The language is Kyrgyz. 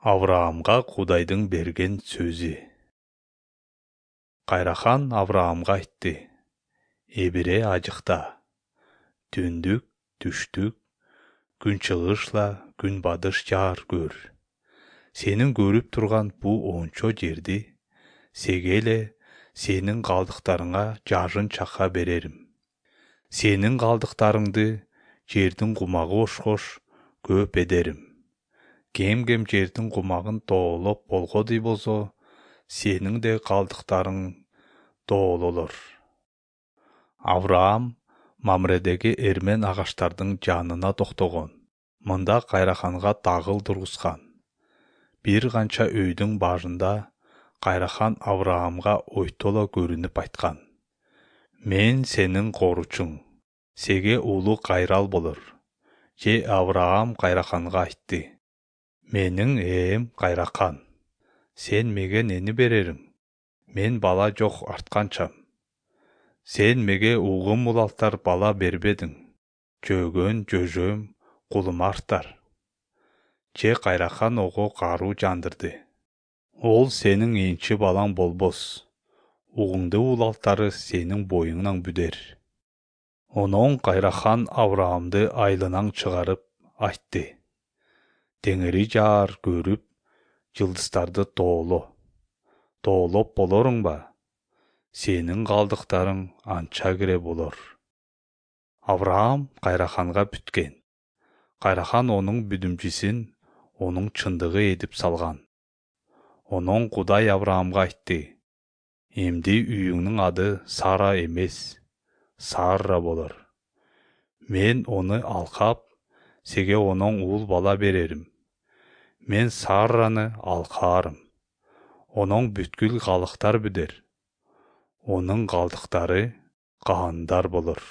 Авраамга Кудайдын берген сөзү. Кайрахан Авраамга айтты: Эбире ажыкта, түндүк, түштүк, күнчыгышла, күнбатыш жаар көр. Сенин көрүп турган бул ончо жерди сеге эле сенин калдыктарыңа жашын чакка берерим. Сенин калдыктарыңды жердин кумагы ошкош көп эдерим. Кем-кем жердин кумагын тоолоп болгодой болсо, сенин де калдыктарың тоололор. Авраам Мамредеги эрмен агаштардын жанына токтогон. Мында кайраханга тагыл тургузган. Бир канча өйдүн башында кайрахан Авраамга ойтоло көрүнүп айткан: Мен сенин коручуң, сеге улуу кайрал болор. Же Авраам кайраханга айтты: Менин ээм кайрахан, сен меге нени берериң? Мен бала жок артканчам. Сен меге угум улалтар бала бербедиң. Жөгөн жөжөм кулума артар. Же кайрахан ого каруу жандырды: Ол сенин энчи балаң болбос. Угуңду улалтары сенин боюңнан бүдер. Онон кайрахан Авраамды айылынан чыгарып айтты: Теңири жаар көрүп, жылдыздарды тооло. Тоолоп болоруң ба? Сенин калдыктарың анча кире болор. Авраам кайраханга бүткөн. Кайрахан онун бүдүмчүсүн онун чындыгы эдип салган. Онон Кудай Авраамга айтты: Эмди үйүңнүн ады Сара эмес, Сарра болор. Мен ону алкап, сеге онон уул бала берерим. Мен Сарраны алкаарым. Онон бүткүл калдыктар бүдер. Онун калдыктары каандар болор.